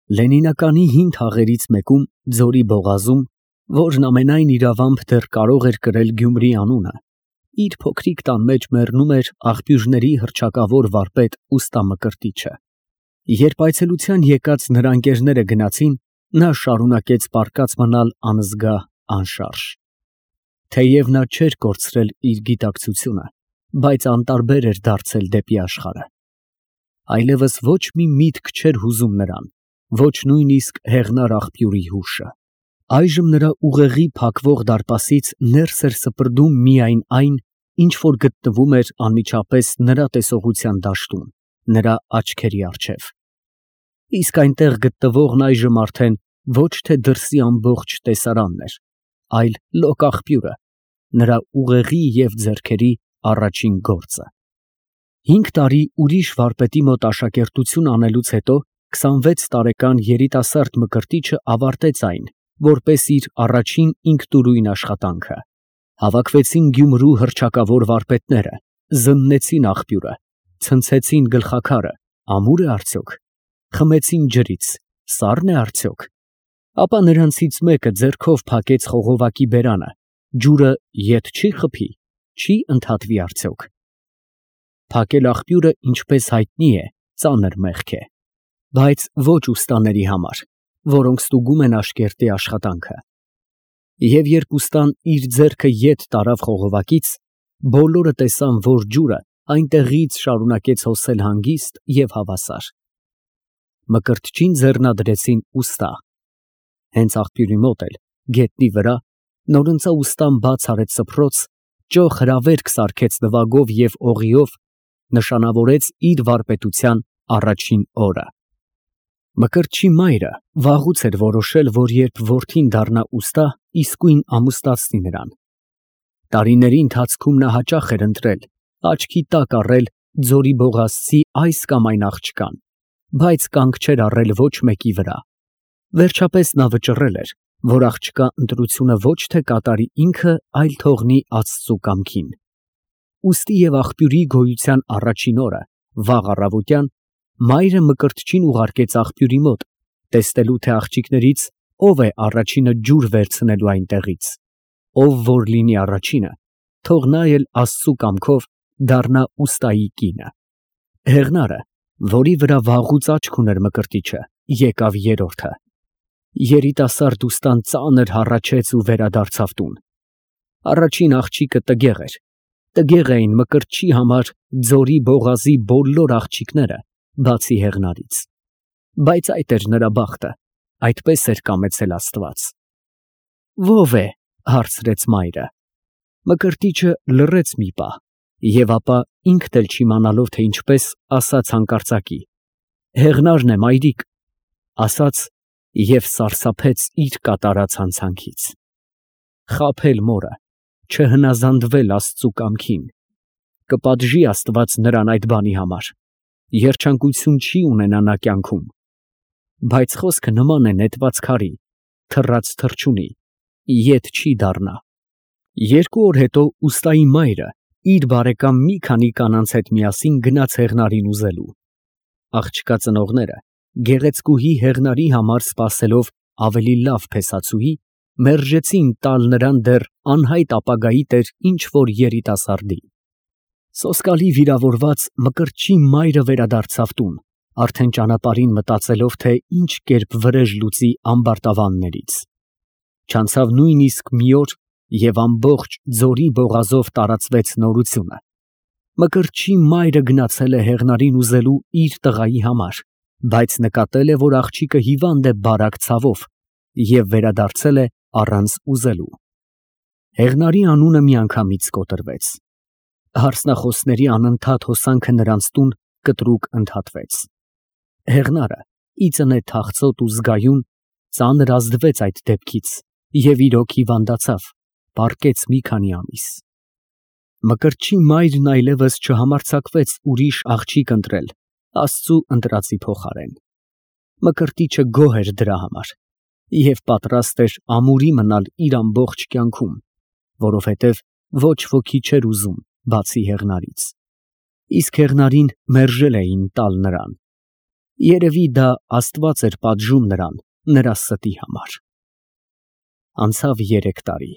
Լենինականի հին թաղերից մեկում, Ձորի բողազում, որն ամենայն իրավամբ դեռ կարող էր կրել Գյումրի անունը, իր փոքրիկ տան մեջ մեռնում էր աղբյուրների հռչակավոր վարպետ ուստա Մկրտիչը։ Երբ այցելության եկած նրա ընկերները գնացին, նա շարունակեց պառկած մնալ անզգա, անշարժ։ Թեև նա չէր կորցրել իր գիտակցությունը, բայց անտարբեր էր դարձել դեպի աշխարհը։ Այլևս ոչ մի միտք չէր հուզում նրան, ոչ նույնիսկ հեղնար աղբյուրի հուշը։ Այժմ նրա ուղեղի փակվող դարպասից ներս էր սպրդում միայն այն, ինչ որ գտնվում էր անմիջապես նրա տեսողության դաշտում, նրա աչքերի առջև։ Իսկ այնտեղ գտնվողն այժմ արդեն ոչ թե դրսի ամբողջ տեսարանն էր, այլ լոկ աղբյուրը, նրա ուղեղի և ձեռքերի առաջին գործը։ 5 տարի ուրիշ վարպետի մոտ աշակերտություն անելուց հետո 26 տարեկան երիտասարդ Մկրտիչը ավարտեց այն, որպես իր առաջին ինքնուրույն աշխատանքը։ Հավաքվեցին Գյումրու հռչակավոր վարպետները, զննեցին աղբյուրը, ցնցեցին գլխաքարը, ամուր է արդյոք, խմեցին ջրից, սառն է արդյոք։ Ապա նրանցից մեկը ձեռքով փակեց խողովակի բերանը, ջուրը ետ չի խփի, չի ընդհատվի արդյոք։ Փակել աղբյուրը, ինչպես հայտնի է, ծանր մեղք է, բայց ոչ ուստաների համար, որոնք ստուգում են աշկերտի աշխատանքը։ Եվ երբ ուստան իր ձեռքը ետ տարավ խողովակից, բոլորը տեսան, որ ջուրը այնտեղից շարունակեց հոսել հանգիստ և հավասար։ Մկրտչին ձեռնադրեցին ուստա։ Հենց աղբյուրի մոտ էլ, գետնի վրա, նորընծա ուստան բաց արեց սփռոց, ճոխ հրավերք սարքեց նվագով և օղիով, նշանավորեց իր վարպետության առաջին օրը։ Մկրտչի մայրը վաղուց էր որոշել, որ երբ որդին դառնա ուստա, իսկույն ամուսնացնի նրան։ Տարիների ընթացքում նա հաճախ էր ընտրել, աչքի տակ առել Ձորի բողազցի այս կամ այն աղջկան, բայց կանգ չէր առել ոչ մեկի վրա։ Վերջապես նա վճռել էր, որ աղջկա ընտրությունը ոչ թե կատարի ինքը, այլ թողնի Աստծու կամքին։ Ուստի և աղբյուրի գոյության առաջին օրը, վաղ առավոտյան, մայրը Մկրտչին ուղարկեց աղբյուրի մոտ, տեսնելու, թե աղջիկներից ով է առաջինը ջուր վերցնելու այնտեղից։ Ով որ լինի առաջինը, թող նա էլ Աստծու կամքով դառնա ուստայի կինը։ Հեղնարը, որի վրա վաղուց աչք ուներ Մկրտիչը, եկավ երրորդը։ Երիտասարդ ուստան ծանր հառաչեց ու վերադարձավ տուն։ Առաջին աղջիկը տգեղ էր։ Տգեղ էին Մկրտչի համար Ձորի բողազի բոլոր աղջիկները, բացի հեղնարից։ Բայց այդ էր նրա բախտը, այդպես էր կամեցել Աստված։ Ո՞վ է, հարցրեց մայրը։ Մկրտիչը լռեց մի պահ և ապա, ինքն էլ չիմանալով, թե ինչպես, ասաց հանկարծակի. Հեղնարն է, մայրիկ, ասաց և սարսափեց իր կատարած հանցանքից։ Խաբել մորը, չհնազանդվել Աստծու կամքին, կպատժի Աստված նրան այդ բանի համար, երջանկություն չի ունենա նա կյանքում։ Բայց խոսքը նման է նետված քարի, թռած թռչունի, ետ չի դառնա։ 2 օր հետո ուստայի մայրը իր բարեկամ մի քանի կանանց հետ միասին գնաց հեղնարին ուզելու։ Աղջկա ծնողները, գեղեցկուհի հեղնարի համար սպասելով ավելի լավ փեսացուհի, մերժեցին տալ նրան դեռ անհայտ ապագայի տեր ինչ որ երիտասարդի։ Սոսկալի վիրավորված Մկրտչի մայրը վերադարձավ տուն, արդեն ճանապարհին մտածելով, թե ինչ կերպ վրեժ լուծի ամբարտավաններից։ Չանցավ նույնիսկ մի օր, և ամբողջ Ձորի բողազով տարածվեց նորությունը։ Մկրտչի մայրը գնացել է հեղնարին ուզելու իր տղայի համար, բայց նկատել է, որ աղջիկը հիվանդ է բարակ ցավով և վերադարձել է առանց ուզելու։ Հեղնարի անունը միանգամից կոտրվեց։ Հարսնախոսների անընդհատ հոսանքը նրանց տուն կտրուկ ընդհատվեց։ Հեղնարը, ի ծնե թախծոտ ու զգայուն, ծանր ազդվեց այդ դեպքից և իրոք հիվանդացավ, պառկեց մի քանի ամիս։ Մկրտչի մայրն այլևս չհամարձակվեց ուրիշ աղջիկ ընտրել Աստծու ընտրածի փոխարեն։ Մկրտիչը գոհ էր դրա համար և պատրաստ էր ամուրի մնալ իր ամբողջ կյանքում, որովհետև ոչ ոքի չէր ուզում, բացի հեղնարից։ Իսկ հեղնարին մերժել էին տալ նրան։ Երևի դա Աստված էր պատժում նրան նրա ստի համար։ Անցավ 3 տարի։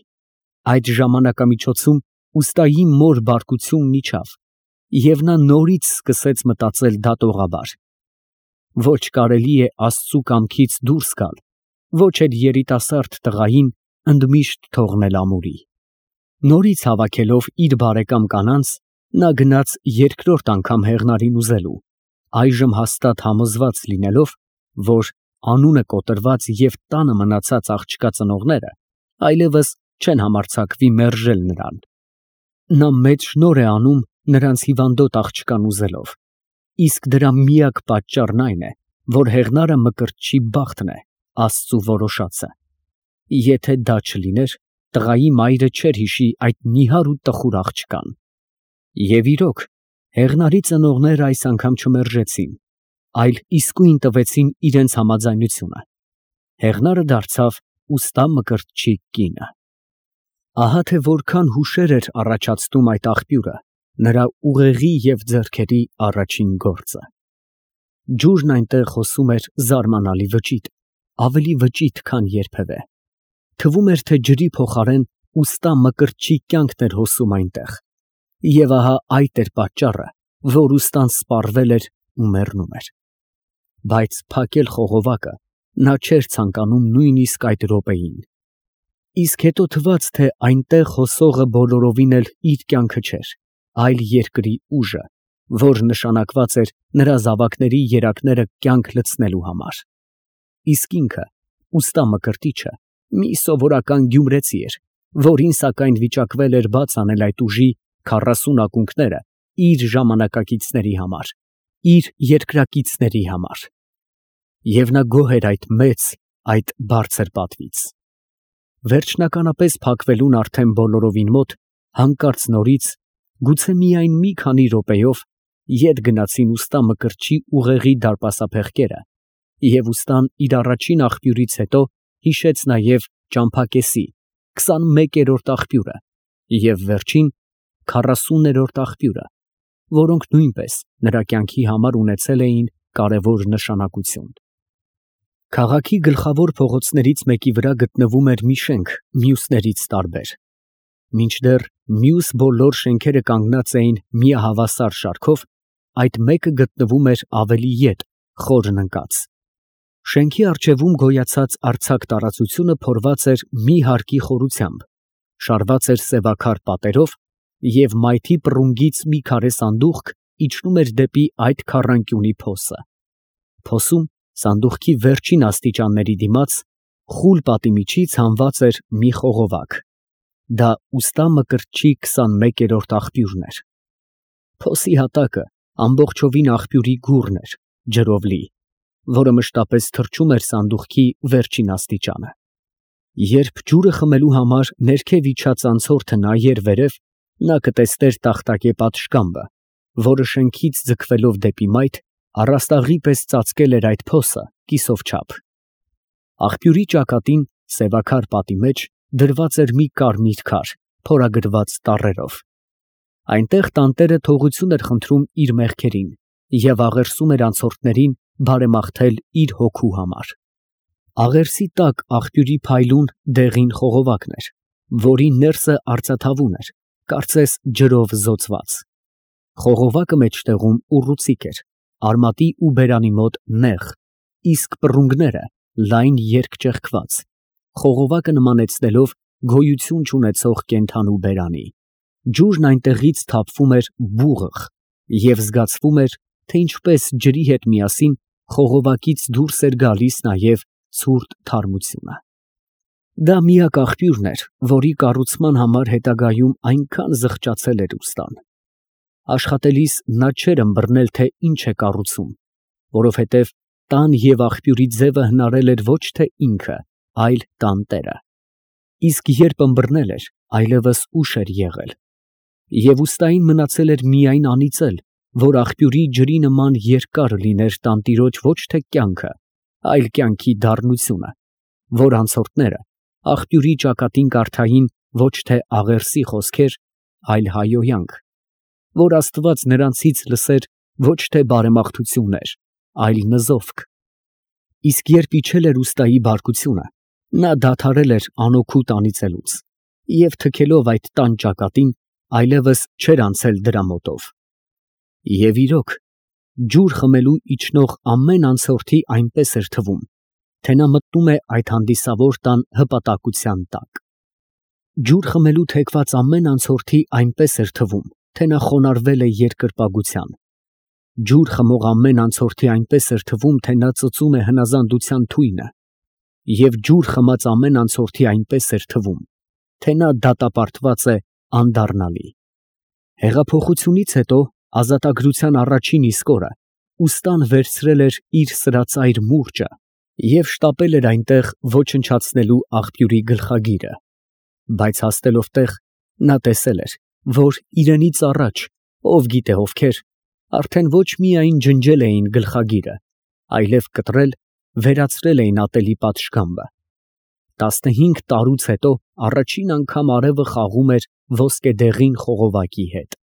Այդ ժամանակամիջոցում ուստայի մոր բարկությունն իջավ, և նա նորից սկսեց մտածել դատողաբար. ոչ կարելի է Աստծու կամքից դուրս գալ, ոչ էլ երիտասարդ տղային ընդմիշտ թողնել ամուրի։ Նորից հավաքելով իր բարեկամ կանանց, նա գնաց երկրորդ անգամ Հեղնարին ուզելու, այժմ հաստատ համոզված լինելով, որ անունը կոտրված և տանը մնացած աղջկա ծնողները այլևս չեն համարձակվի մերժել նրան։ Նա մեծ շնորհ է անում նրանց հիվանդոտ աղջկան ուզելով, իսկ դրա միակ պատճառն այն է, որ Հեղնարը Մկրտչի բախտն է, Աստծու որոշածը։ Եթե դա չլիներ, տղայի մայրը չէր հիշի այդ նիհար ու տխուր աղջկան։ Եվ իրոք, Հեղնարի ծնողները այս անգամ չմերժեցին, այլ իսկույն տվեցին իրենց համաձայնությունը։ Հեղնարը դարձավ ուստա Մկրտչի կինը։ Ահա թե որքան հուշեր էր առաջացնում այդ աղբյուրը, նրա ուղեղի և ձեռքերի առաջին գործը։ Ջուրն այնտեղ հոսում էր զարմանալի վճիտ, ավելի վճիտ, քան երբևէ։ Թվում էր, թե ջրի փոխարեն ուստա Մկրտչի կյանքն էր հոսում այնտեղ։ Եվ ահա այդ էր պատճառը, որ ուստան սպառվել էր ու մեռնում էր։ Բայց փակել խողովակը նա չէր ցանկանում նույնիսկ այդ րոպեին։ Իսկ հետո թվաց, թե այնտեղ հոսողը բոլորովին էլ իր կյանքը չէր, այլ երկրի ուժը, որ նշանակված էր նրա զավակների երակները կյանք լցնելու համար։ Իսկ ինքը, ուստա Մկրտիչը, մի սովորական գյումրեցի էր, որին սակայն վիճակվել էր բաց անել այդ ուժի 40 ակունքները իր ժամանակակիցների համար, իր երկրակիցների համար։ Եվ նա գոհ էր այդ մեծ, այդ բարձր պատվից։ Վերջնականապես փակվելուն արդեն բոլորովին մոտ, հանկարծ նորից, գուցե միայն մի քանի րոպեով, ետ գնացին ուստա Մկրտչի ուղեղի դարպասափեղկերը, և ուստան իր առաջին աղբյուրից հետո հիշեց նաև ճամփակեսի 21-րդ աղբյուրը և վերջին 40-րդ աղբյուրը, որոնք նույնպես նրա կյանքի համար ունեցել էին կարևոր նշանակություն։ Քաղաքի գլխավոր փողոցներից մեկի վրա գտնվում էր մի շենք մյուսներից տարբեր։ Մինչդեռ մյուս բոլոր շենքերը կանգնած էին միահավասար շարքով, այդ մեկը գտնվում էր ավելի ետ, խորն ընկած։ Շենքի առջևում գոյացած արձակ տարածությունը փորված էր մի հարկի խորությամբ, շարված էր սևաքար պատերով, և մայթի պռունգից մի քարե սանդուղք իջնում էր դեպի այդ քառանկյունի փոսը։ Փոսում, սանդուղքի վերջին աստիճանների դիմաց, խուլ պատի միջից հանված էր մի խողովակ։ Դա ուստա Մկրտչի 21-րդ աղբյուրն էր։ Փոսի հատակը ամբողջովին աղբյուրի գուռն էր, ջրով լի, որը մշտապես թրջում էր սանդուղքի վերջին աստիճանը։ Երբ ջուրը խմելու համար ներքև իջած անցորդը նայեր վերև, նա կտեսներ տախտակե պատշգամբը, որը շենքից ձգվելով դեպի մայթ, առաստաղի պես ծածկել էր այդ փոսը կիսով չափ։ Աղբյուրի ճակատին, սևաքար պատի մեջ, դրված էր մի կարմիր քար, փորագրված տառերով։ Այնտեղ տանտերը թողություն էր խնդրում իր մեղքերին և աղերսում էր անցորդներին բարեմաղթել իր հոգու համար։ Աղերսի տակ աղբյուրի փայլուն դեղին խողովակն էր, որի ներսը արծաթավուն էր, կարծես ջրով զոծված։ Խողովակը մեջտեղում ուռուցիկ էր, արմատի ու բերանի մոտ նեղ, իսկ պռունգները լայն երկճեղքված, խողովակը նմանեցնելով գոյություն չունեցող կենդանու բերանի։ Ջուրն այնտեղից թափվում էր բուղղ և զգացվում էր, թե ինչպես ջրի հետ միասին խողովակից դուրս էր գալիս նաև ցուրտ թարմությունը։ Դա միակ աղբյուրն էր, որի կառուցման համար հետագայում այնքան զղջացել էր ուստան։ Աշխատելիս նա չէր ըմբռնել, թե ինչ է կառուցում, որովհետև տան և աղբյուրի ձևը հնարել էր ոչ թե ինքը, այլ տանտերը։ Իսկ երբ ըմբռնել էր, այլևս ուշ էր եղել։ Եվ ուստային մնացել էր միայն անիծել, որ աղբյուրի ջրի նման երկար լիներ տանտիրոջ ոչ թե կյանքը, այլ կյանքի դառնությունը, որ անցորդները աղբյուրի ճակատին կարդային ոչ թե աղերսի խոսքեր, այլ հայհոյանք, որ Աստված նրանցից լսեր ոչ թե բարեմաղթություններ, այլ նզովք։ Իսկ երբ իջել էր ուստայի բարկությունը, նա դադարել էր անօգուտ անիծելուց և թքելով այդ տան ճակատին, այլևս չէր անցել դրա մոտով։ Եվ իրոք, ջուր խմելու իջնող ամեն անցորդի այնպես էր թվում, թե նա մտնում է այդ հանդիսավոր տան հպատակության տակ։ Ջուր խմելու թեքված ամեն անցորդի այնպես էր թվում, թե նա խոնարհվել է երկրպագության։ Ջուր խմող ամեն անցորդի այնպես էր թվում, թե նա ծծում է հնազանդության թույնը, և ջուր խմած ամեն անցորդի այնպես էր թվում, թե նա դատապարտված է անդառնալի։ Հեղափոխությունից հետո ազատագրության առաջին իսկ օրը ուստան վերցրել էր իր սրածայր մուրճը և շտապել էր այնտեղ ոչնչացնելու աղբյուրի գլխագիրը, բայց հասնելով տեղ, նա տեսել էր, որ իրենից առաջ, ով գիտե ովքեր, արդեն ոչ միայն ջնջել էին գլխագիրը, այլև կտրել, վերացրել էին ատելի պատշգամբը։ 15 տարուց հետո առաջին անգամ արևը խաղում էր ոսկեդեղին խողովակի հետ։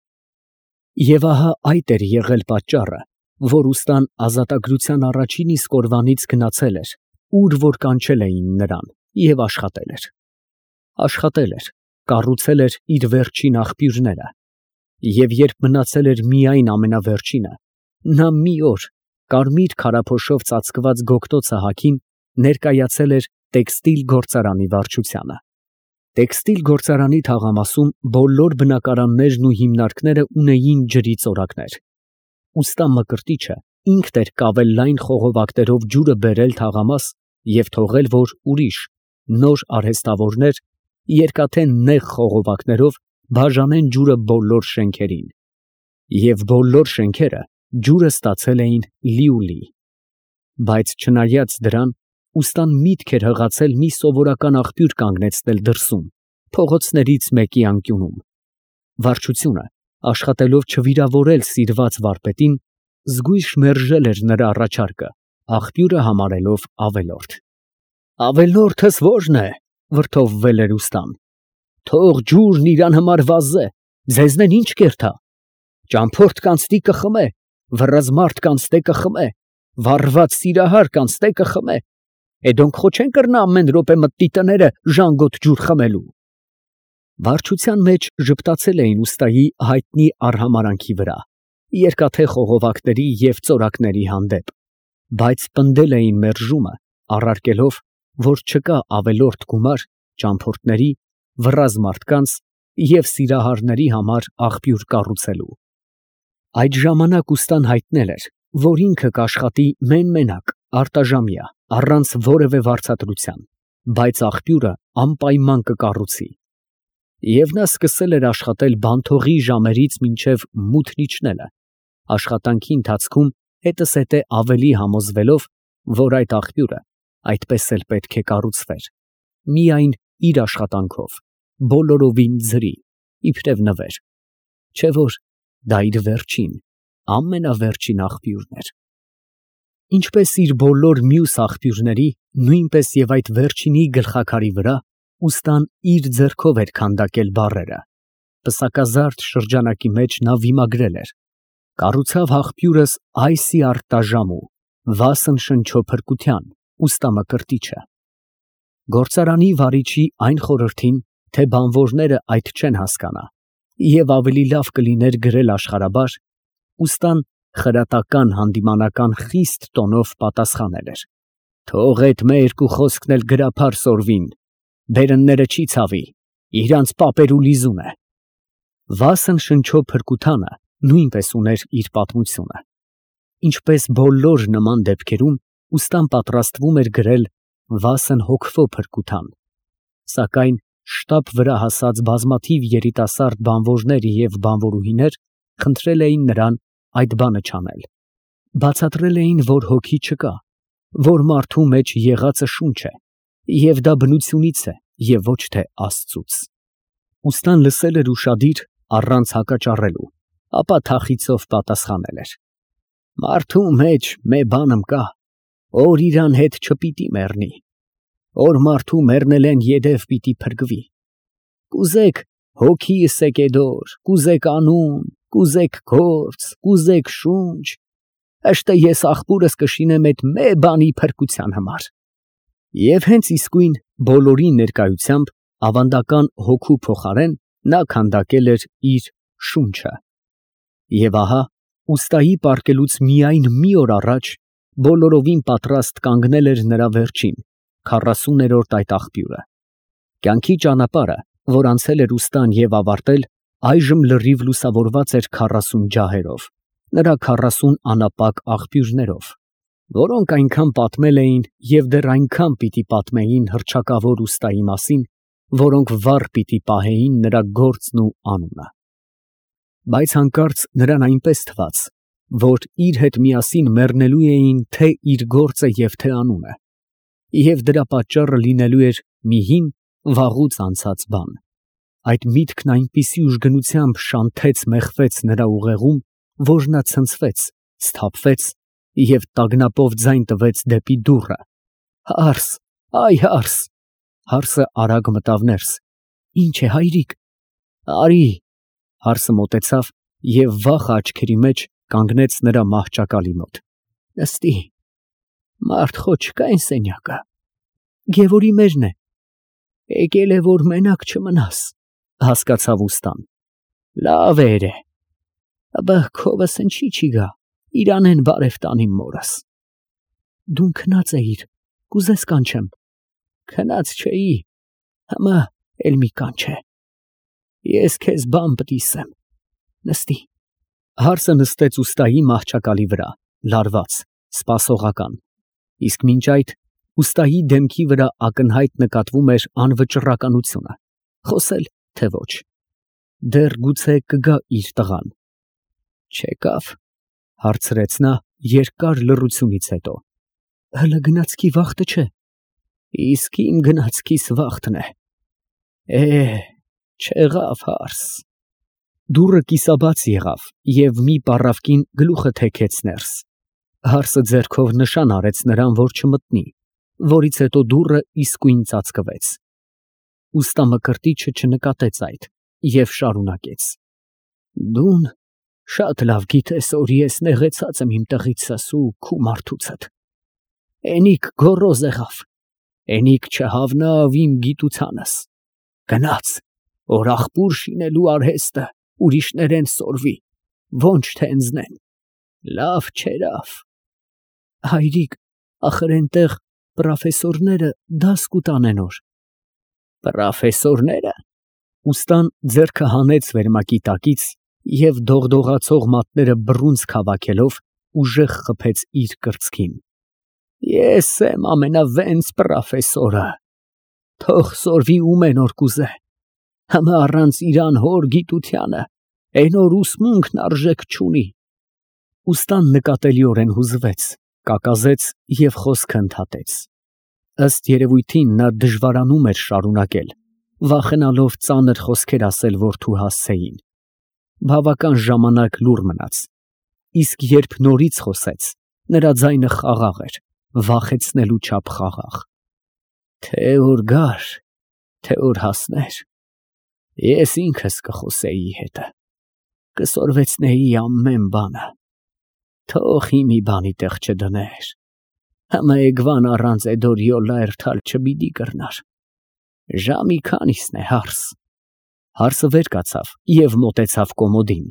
Եվ ահա այդ էր եղել պատճառը, որ ուստան ազատագրության առաջին իսկ օրվանից գնացել էր, ուր որ կանչել էին նրան, և աշխատել էր։ Աշխատել էր, կառուցել էր իր վերջին աղբյուրները, և երբ մնացել էր միայն ամենավերջինը, նա մի օր կարմիր քարափոշով ծածկված գոգտոցը հագին ներկայացել էր տեքստիլ գործարանի վարչությանը։ Տեքստիլ գործարանի թաղամասում բոլոր բնակարաններն ու հիմնարկները ունեին ջրի ծորակներ։ Ուստա Մկրտիչը ինքն էր կավել լայն խողովակներով ջուրը բերել թաղամաս և թողել, որ ուրիշ, նոր արհեստավորներ երկաթե նեղ խողովակներով բաժանեն ջուրը բոլոր շենքերին։ Եվ բոլոր շենքերը ջուրը ստացել էին լիուլի։ Բայց չնայած դրան, ուստան միտք էր հղացել մի սովորական աղբյուր կանգնեցնել դրսում, փողոցներից մեկի անկյունում։ Վարչությունը, աշխատելով չվիրավորել սիրված վարպետին, զգույշ մերժել էր նրա առաջարկը, աղբյուրը համարելով ավելորդ։ «Ավելորդս ո՞րն է», վրդովվել էր ուստան։ «Թող ջուրն իրան համար վազե, ձեզնեն ի՞նչ կերթա։ Ճամփորդ կանցնի կխմե, վռզմարդ կանցնե կխմե, վառված սիրահար կանցնե կխմե։ Էդոնք խո չեն կռնա ամեն րոպե մտնի տները ժանգոտ ջուր խմելու»։ Վարչության մեջ ժպտացել էին ուստայի հայտնի արհամարանքի վրա, երկաթե խողովակների և ծորակների հանդեպ, բայց պնդել էին մերժումը, առարկելով, որ չկա ավելորդ գումար ճամփորդների, վռազ մարդկանց և սիրահարների համար աղբյուր կառուցելու։ Այդ ժամանակ ուստան հայտնել էր, որ ինքը կաշխատի մեն֊մենակ, արտաժամյա, առանց որևէ վարձատրության, բայց աղբյուրը անպայման կկառուցի։ Եվ նա սկսել էր աշխատել բանթողի ժամերից մինչև մութն իջնելը, աշխատանքի ընթացքում հետզհետե ավելի համոզվելով, որ այդ աղբյուրը այդպես էլ պետք է կառուցվեր, միայն իր աշխատանքով, բոլորովին ձրի, իբրև նվեր, չէ որ դա իր վերջին, ամենավերջին աղբյուրն էր։ Ինչպես իր բոլոր մյուս աղբյուրների, նույնպես և այդ վերջինի գլխաքարի վրա ուստան իր ձեռքով էր քանդակել բառերը։ Պսակազարդ շրջանակի մեջ նա վիմագրել էր. «Կառուցավ աղբյուրս այսի արտաժամու, վասն շնչո փրկության, ուստա Մկրտիչը»։ Գործարանի վարիչի այն խորհրդին, թե բանվորները այդ չեն հասկանա, և ավելի լավ կլիներ գրել աշխարհաբար, ուստան խրատական հանդիմանական խիստ տոնով պատասխանել էր. «Թող էդ մեր երկու խոսքն էլ գրափար սորվին, բերնները չի ցավի, իրանց պապերու լիզուն է»։ Վասն շնչո փրկությանը նույնպես ուներ իր պատմությունը։ Ինչպես բոլոր նման դեպքերում, ուստան պատրաստվում էր գրել վասն հոգվո փրկության, սակայն շտապ վրա հասած բազմաթիվ երիտասարդ բանվորներ և բանվորուհիներ խնդրել էին նրան այդ բանը չանել։ Բացատրել էին, որ հոգի չկա, որ մարդու մեջ եղածը շունչ է, և դա բնությունից է և ոչ թե Աստծուց։ Ուստան լսել էր ուշադիր, առանց հակաճառելու, ապա թախիծով պատասխանել էր. «Մարդու մեջ մի բան կա, որ իրան հետ չպիտի մեռնի, որ մարդու մեռնելեն յետև պիտի փրկվի։ Կուզեք հոգիս եկե դոր, կուզեք անուն, կուզեք գործ, կուզեք շունչ, ըշտը ես աղբուրս կշինեմ այդ մե բանի փրկության համար։ Եվ հենց իսկույն բոլորի ներկայությամբ ավանդական հոգու փոխարեն նա քանդակել էր իր շունչը։ Եվ ահա, ուստայի պառկելուց միայն մի օր առաջ բոլորովին պատրաստ կանգնել էր նրա վերջին, 40-րդ այդ աղբյուրը։ Կյանքի ճանապարհը, որ անցել էր ուստան և ավարտել, այժմ լրիվ լուսավորված էր 40 ջահերով, նրա 40 անապակ աղբյուրներով, որոնք այնքան պատմել էին և դեռ այնքան պիտի պատմեին հռչակավոր ուստայի մասին, որոնք վառ պիտի պահեին նրա գործն ու անունը։ Բայց հանկարծ նրան այնպես թվաց, որ իր հետ միասին մեռնելու էին թե իր գործը և թե անունը, և դրա պատճառը լինելու էր մի հին, վաղուց անցած բան։ Այդ միտքն այնպիսի ուժգնությամբ շանթեց մեխվեց նրա ուղեղում, որ նա ցնցվեց, սթափվեց և տագնապով ձայն տվեց դեպի դուռը։ Հարս, այ հարս։ Հարսը արագ մտավ ներս։ Ինչ է, հայրիկ։ Արի։ Հարսը մոտեցավ և վախ աչքերի մեջ կանգնեց նրա մահճակալի մոտ։ Նստի։ Մարդ խո չկա այն սենյակը։ Գևորի մեջն է։ Եկել է, որ մենակ չմնաս, հասկացավ ուստան։ Լավ է երե։ Աբա քովս ինչի չի գա, իրանեն բարև տանիմ մորս։ Դու քնած էիր, կուզես կանչեմ։ Քնած չէի, համա էլ մի կանչ է։ Ես քեզ բան պտիսեմ։ Նստի։ Հարսը նստեց ուստայի մահճակալի վրա, լարված, սպասողական, իսկ մինչ այդ ուստայի դեմքի վրա ակնհայտ նկատվում էր անվճռականությունը, խոսել թե ոչ։ Դեռ գուցե կգա իր տղան։ Չեկավ, հարցրեց նա երկար լռությունից հետո։ Հլը գնացքի վախտը չէ։ Իսկ իմ գնացքիս վախտն է։ Չեղավ հարս։ Դուռը կիսաբաց եղավ և մի պառավկին գլուխը թեքեց ներս։ Հարսը ձեռքով նշան արեց նրան, որ չմտնի, որից հետո դուռը իսկույն ծածկվեց։ Ուստա Մկրտիչը չնկատեց այդ և շարունակեց. Դուն շատ լավ գիտես, որ ես նեղեցած եմ իմ տղիցս ու քու մարդուցդ։ Էնիկ գոռոզ եղավ, էնիկ չհավնավ իմ գիտությանս։ Գնաց, որ աղբուր շինելու արհեստը ուրիշներեն սորվի, ոնչ թե ընձնեն։ Լավ չերավ։ Հայրիկ, ախր այնտեղ պրոֆեսորները դաս կուտանեն օր։ Պրոֆեսորները։ Ուստան ձեռքը հանեց վերմակի տակից և դողդողացող մատները բռունցք հավաքելով ուժեղ խփեց իր կրծքին։ Ես եմ ամենավենց պրոֆեսորը։ Թող սորվի ումեն որ կուզե։ Համը առանց իրան հոր գիտությանը, այն որ ուսմունքն արժեք չունի։ Ուստան նկատելիորեն հուզվեց, կակազեց և խոսքը ընդհատեց։ Ըստ երևույթին նա դժվարանում էր շարունակել, վախենալով ծանր խոսքեր ասել որդու հասցեին։ Բավական ժամանակ լուռ մնաց, իսկ երբ նորից խոսեց, նրա ձայնը խաղաղ էր, վախեցնելու չափ խաղաղ։ Թե որ գար, թե որ հասներ, ես ինքս կխոսեի հետը, կսորվեցնեի ամեն բանը, թող մի բանի տեղ չդներ, համը էգվան առանց էդորյոլա երթալ չբիդի կրնար։ Ժամի քանիսն է հարս։ Հարսը վեր կացավ և մոտեցավ կոմոդին,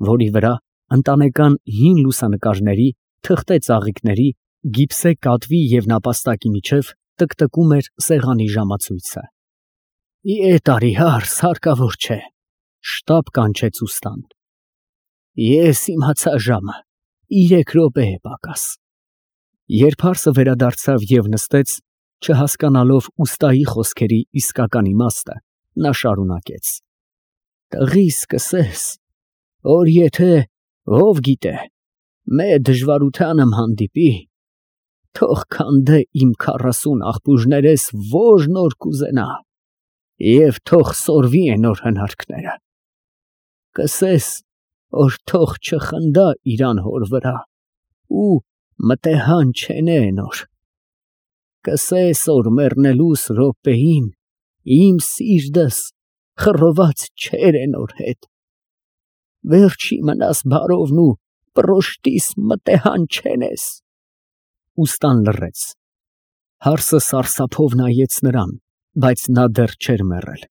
որի վրա ընտանեկան հին լուսանկարների, թղթե ծաղիկների, գիպսե կատվի և նապաստակի միջև տկտկում էր սեղանի ժամացույցը։ Ետ արի հարս, հարկավոր չէ, շտապ կանչեց ուստան։ Ես իմացա ժամը, 3 րոպե է պակաս։ Երբ հարսը վերադարձավ և նստեց, չհասկանալով ուստայի խոսքերի իսկական իմաստը, նա շարունակեց. Տղիս կսես, որ եթե ով գիտե, մե դժվարությանըմ հանդիպի, թող քանդե իմ 40 աղբույրներես որ նոր կուզենա և թող սորվի են որ հնարքները։ Կսես, որ թող չխնդա իրան հոր վրա ու մտեհան չենե նոր։ Կսես, որ մեռնելուս րոպեին իմ սիրտս խռոված չեր նոր հետ։ Վերջի մնաս բարովն ու պրոշտիս մտեհանչենես։ Ուստան լռեց։ Հարսը սարսափով նայեց նրան, բայց նա դեռ չէր մեռել։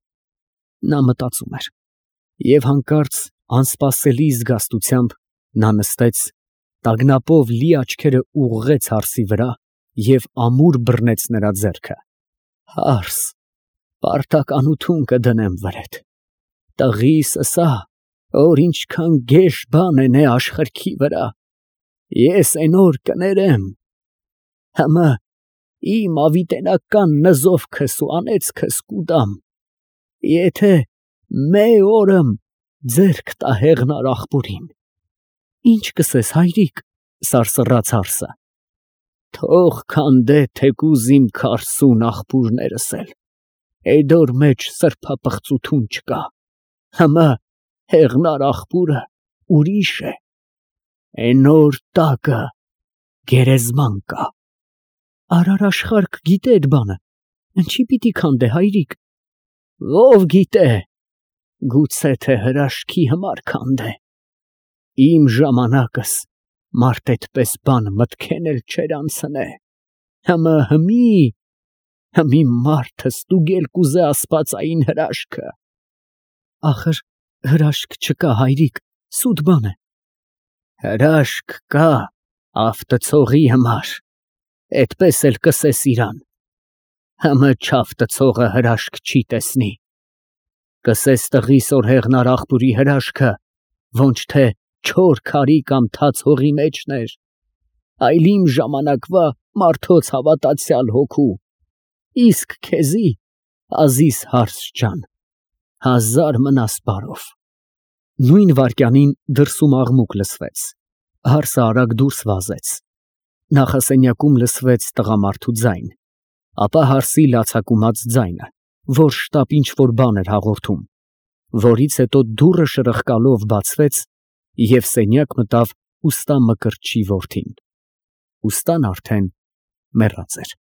Նա մտածում էր։ Եվ հանկարծ անսպասելի զգաստությամբ նա նստեց, տագնապով լի աչքերը ուղղեց հարսի վրա և ամուր բռնեց նրա ձեռքը։ Հարս, պարտականություն կդնեմ վրեդ։ Տղիս ըսա, որ ինչքան գեշ բան է աշխարհքի վրա, ես այն օր կներեմ։ Համը իմ ավիտենական նզովքս ու անեծքս կուտամ, եթե մի օրըմ ձեռք տա հեղնար աղբորին։ Ինչ կսես, հայրիկ, սարսռաց հարսը։ Թող քանդե թեկուզ իմ քարսուն աղբուրներս էլ, այդ օր մեջ սրբապղծություն չկա։ Համը հեղնար աղբուրը ուրիշ է, այն օր տակը գերեզման կա։ Արարաշխարհք գիտե այդ բանը, ինչի պիտի քանդե, հայրիկ։ Ով գիտե, գուցե թե հրաշքի համար քանդե։ Իմ ժամանակս մարդ այդպես բան մտքեն էլ չէր անցնե։ Հմի մարդը ստուգել կուզե ասպացային հրաշքը։ Ախր հրաշք չկա, հայրիկ, սուտ բան է։ Հրաշք կա ավտծողի համար, այդպես էլ կսես իրան։ Համը չավտծողը հրաշք չի տեսնի։ Կսես տղիս որ հեղնար աղբուրի հրաշքը, ոնչ թե չոր քարի կամ թաց հողի մեջն էր, այլ իմ ժամանակվա մարդոց հավատացյալ հոգու, իսկ քեզի, Ազիզ հարս ջան, հազար մնաս բարով։ Նույն վայրկյանին դրսում աղմուկ լսվեց, հարսը արագ դուրս վազեց։ Նախասենյակում լսվեց տղամարդու ձայն, ապա հարսի լացակումած ձայնը, որ շտապ ինչ-որ բան էր հաղորդում, որից հետո դուռը շրխկալով բացվեց և սենյակ մտավ ուստա Մկրտչի որդին։ Ուստան արդեն մեռած էր։